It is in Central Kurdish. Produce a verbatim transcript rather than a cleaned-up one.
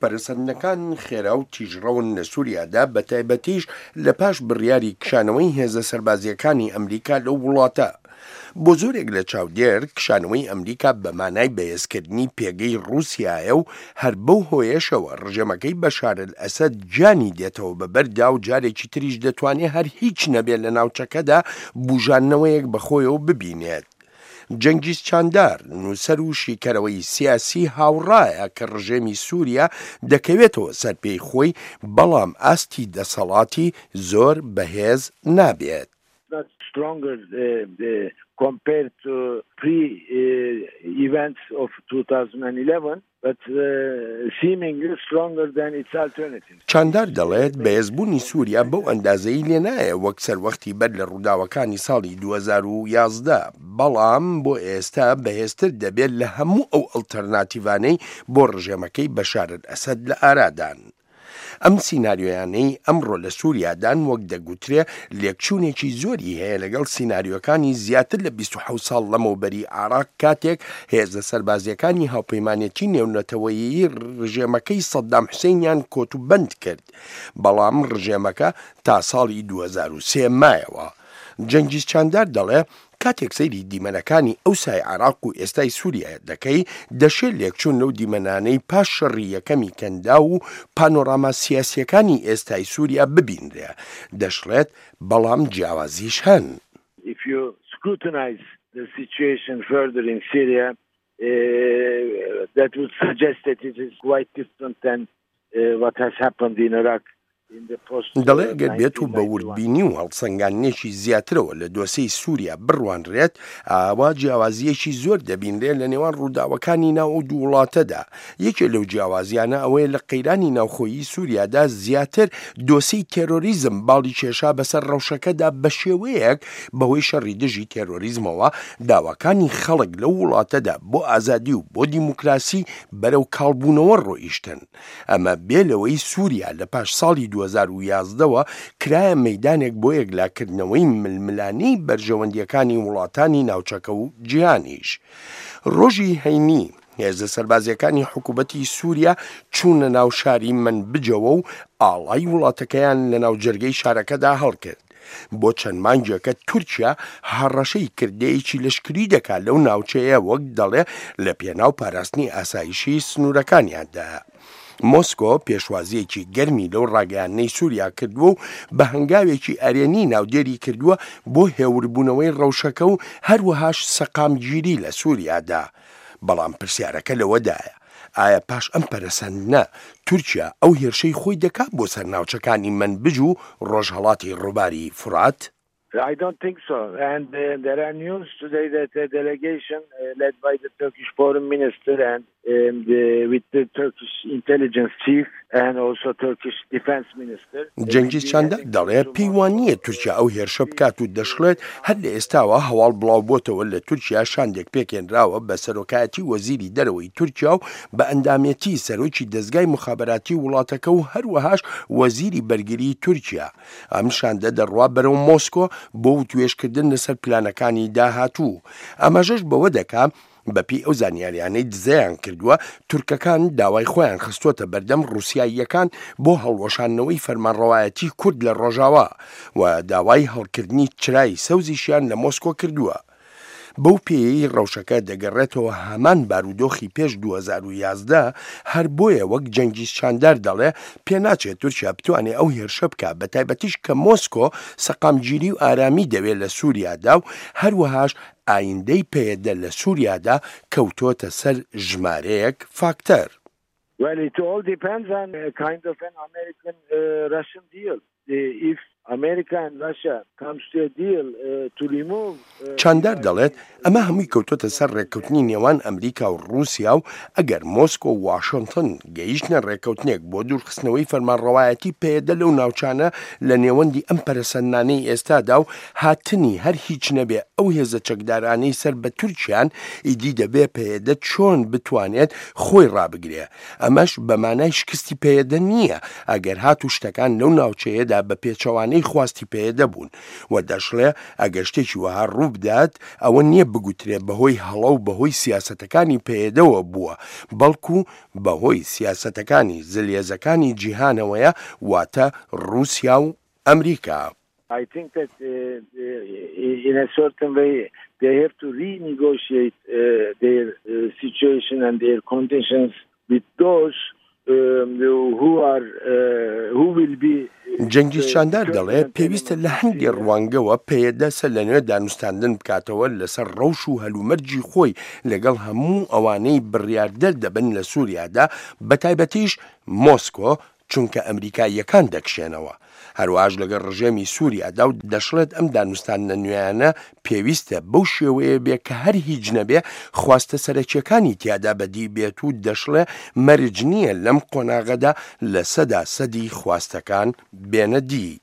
پەرەسەندنەکان خێرا و تیژڕەون لە سووریادا، بە تایبەتیش لە پاش بڕیاری کشانەوەی هێزە سەربازییەکانی ئەمریکا لەو وڵاتە. بۆ زۆرێک لە چاودێر، کشانەوەی ئەمریکا بە مانای بەهێزکردنی پێگەی ڕووسیایە و هەر بەو هۆیەشەوە ڕژێمەکەی بەشار ئەلئەسەد گیانی دێتەوە بە بەردا و جارێکی تریش دەتوانێ هەر هیچ نەبێ لە ناوچەکەدا بوژاندنەوەیەک بە خۆیەوە ببینێت. جەنگیز چاندار، نووسەر و شیکەرەوەی سیاسی هاوڕایە کە ڕژێمی سووریا دەکەوێتەوە سەر پێی خۆی، بەڵام ئاستی دەسەڵاتی زۆر بەهێز نابێت. Not stronger uh, uh, compared to pre-events uh, of twenty eleven, but uh, seemingly stronger than its alternatives. چاندار دەڵێت بەهێزبوونی سووریا بەو ئەندازەی لێ نایە وەک سەروەختی بەر لە ڕووداوەکانی ساڵی دوو هەزار و یازدە، بەڵام بۆ ئێستا بەهێزتر دەبێت لە هەموو ئەو ئەڵتەرناتیڤانەی بۆ ڕژێمەکەی بەشار ئەسەد لە ئارادان. ئەم سیناریۆیانەی ئەمڕۆ لە سووریادان، وەک دەگوترێ، لێکچوونێکی زۆری هەیە لەگەڵ سیناریۆکانی زیاتر لە بیست و حەوت ساڵ لەمەوبەری عێراق، کاتێک هێزە سەربازیەکانی هاوپەیمانێتی نێونەتەوەیی ڕژێمەکەی سەدام حوسێنیان کۆتوبەند کرد، بەڵام ڕژێمەکە تا ساڵی دوو هەزار و سێ مایەوە. جەنگیز چاندار دەڵێ کاتێک سەیری دیمەنەکانی ئەوسای عێراق و ئێستای سووریا دەکەی، دەشێت لێکچوون لەو دیمەنانەی پاش شەڕی یەکەمی کەنداو و پانۆراما سیاسیەکانی ئێستای سووریا ببینرێ. دەشڵێت بەڵام جیاوازیش هەن. If you scrutinize the situation further in Syria, uh, that would suggest that it is quite different than uh, what has happened in Iraq. دەڵێ ئەگەر بێت و بە وردبینی و هەڵسەنگاندنێکی زیاترەوە لە دۆسێی سووریا بڕوانرێت، ئاوا جیاوازیەکی زۆر دەبینرێت لە نێوان ڕووداوەکانی ناو ئەو دوو وڵاتەدا. یەکێ لەو جیاوازیانە ئەوەیە لە قەیرانی ناوخۆیی سووریادا زیاتر دۆسێی تێرۆریزم باڵی کێشا بەسەر ڕەوشەکەدا، بە شێوەیەک بەهۆی شەڕی دژی تێرۆریزمەوە داواکانی خەڵک لەو وڵاتەدا بۆ ئازادی و بۆ دیموکراسی بەرەو کاڵبوونەوە ڕۆیشتن. ئەمە بێ لەوەی سووریا لە پاش ساڵی دوو هەزار و یازدە وە کرایە مەیدانێک بۆ یەکلاکردنەوەی ململانێی بەرژەوەندیەکانی وڵاتانی ناوچەکە و جیهانیش. ڕۆژی هەینی هێزە سەربازیەکانی حکوومەتی سووریا چوونە ناو شاری منبجەوە و ئاڵای وڵاتەکەیان لە ناو جەرگەی شارەکەدا هەڵکرد. بۆ چەند مانگێکە تورکیا هەڕەشەی کردەیەکی لەشکری دەکات لەو ناوچەیە، وەک دەڵێ لە پێناو پاراستنی ئاسایشی سنوورەکانیاندا. مۆسکۆ پێشوازیەکی گەرمی لەو ڕاگەیاندنەی سووریا کردووە و بە هەنگاوێکی ئەرێنی ناودێری کردووە بۆ هێوربوونەوەی ڕەوشەکە و هەروەهاش سەقامگیری لە سووریادا. بەڵام پرسیارەکە لەوەدایە ئایا پاش ئەم پەرەسەندنە تورکیا ئەو هێرشەی خۆی دەکات بۆ سەر ناوچەکانی منبج و ڕۆژهەڵاتی ڕووباری فورات؟ I don't think so. And uh, there are news today that a delegation uh, led by the Turkish foreign minister and um, the, with the Turkish intelligence chief and also Turkish defense minister. جەنگیز چاندار دەڵێ پێی وان نییە تورکیا ئەو هێرشە بکات و دەشڵێت هەر لە ئێستاوە هەواڵ بڵاو بۆتەوە لە تورکیا شاندێک پێکێنراوە بە سەرۆکایەتی وەزیری دەرەوەی تورکیا و بە ئەندامێتی سەرۆکی دەزگای موخابەراتی وڵاتەکە و هەروەهاش وەزیری بەرگری تورکیا. ئەم شاندە دەڕوا بەرەو مۆسکۆ بۆ وتوێژکردن لەسەر پلانەکانی داهاتوو. ئاماژەش بەوە دەکا بەپێی ئەو زانیاریانەی دزەیان کردووە، تورکەکان داوای خۆیان خستووەتە بەردەم ڕووسیاییەکان بۆ هەڵوەشاندنەوەی فەرمانڕەوایەتی کورد لە ڕۆژاوا و داوای هەڵکردنی چرای سەوزیشیان لە مۆسکۆ کردووە. بەو پێیەی ڕەوشەکە دەگەڕێتەوە هەمان بارودۆخی پێش دوو هەزار و یازدە، هەر بۆیە وەک جەنگیز چاندار دەڵێ پێناچێت تورکیا بتوانێت ئەو هێرشە بکات، بە تایبەتیش کە مۆسکۆ سەقامگیری و ئارامی دەوێت لە سووریادا و هەروەهاش ئایندەی پەیەدە لە سووریادا کەوتۆتە سەر ژمارەیەک فاکتەر. Well, it all depends on a kind of an American-Russian deal. If America and Russia comes to a deal uh, to remove چاندار دەڵێت ئەمە هەمووی کەوتۆتە سەر ڕێککەوتنی نێوان ئەمریکا و ڕووسیا و ئەگەر مۆسکۆ و واشنگتن گەیشتنە ڕێککەوتنێک بۆ دوورخستنەوەی فەرمانڕەوایەتی پەیەدە لەو ناوچانە لە نێوەندی ئەم پەرەسەندنانەی ئێستادا و هاتنی هەر هیچ نەبێ ئەو هێزە چەکدارانەی سەر بە تورکیان، ئیدی دەبێ پەیەدە چۆن بتوانێت خۆی ڕابگرێ؟ ئەمەش بە مانای شکستی پەیەدە نییە ئەگەر هاتوو شتەکان لەو ناوچەیەدا بە پێچەوانەی خواستی پەیەدە بوون. وە دەشڵێ ئەگەر شتێکی وەها ڕووبدات ئەوە نییە بگوترێ بەهۆی هەڵە و بەهۆی سیاسەتەکانی پەیەدەوە بووە، بەڵکو بەهۆی سیاسەتەکانی زلهێزەکانی جیهانەوەیە واتە ڕووسیا و ئەمریکا. I think that uh, in a certain way they have to renegotiate uh, their uh, situation and their conditions with those um, who are uh, who will be جەنگیز چاندار دەڵێ پێویستە لە هەندێ ڕوانگەوە پەیەدە سەر لە نوێ دانوستاندن بکاتەوە لەسەر ڕەوش و هەلومەرجی خۆی لەگەڵ هەموو ئەوانەی بڕیاردەر دەبن لە سووریادا، بەتایبەتیش مۆسکۆ، چونکە ئەمریکاییەکان دەکشێنەوە، هەروەهاش لەگەڵ ڕژێمی سووریادا و دەشڵێت ئەم دانوستاندنە نوێیانە پێویستە بەو شێوەیە بێ کە هەر هیچ نەبێ خواستە سەرەکیەکانی تیادا بەدی بێت و دەشڵێ مەرج نییە لەم قۆناغەدا لە سەدا سەدی خواستەکان بێنە دی.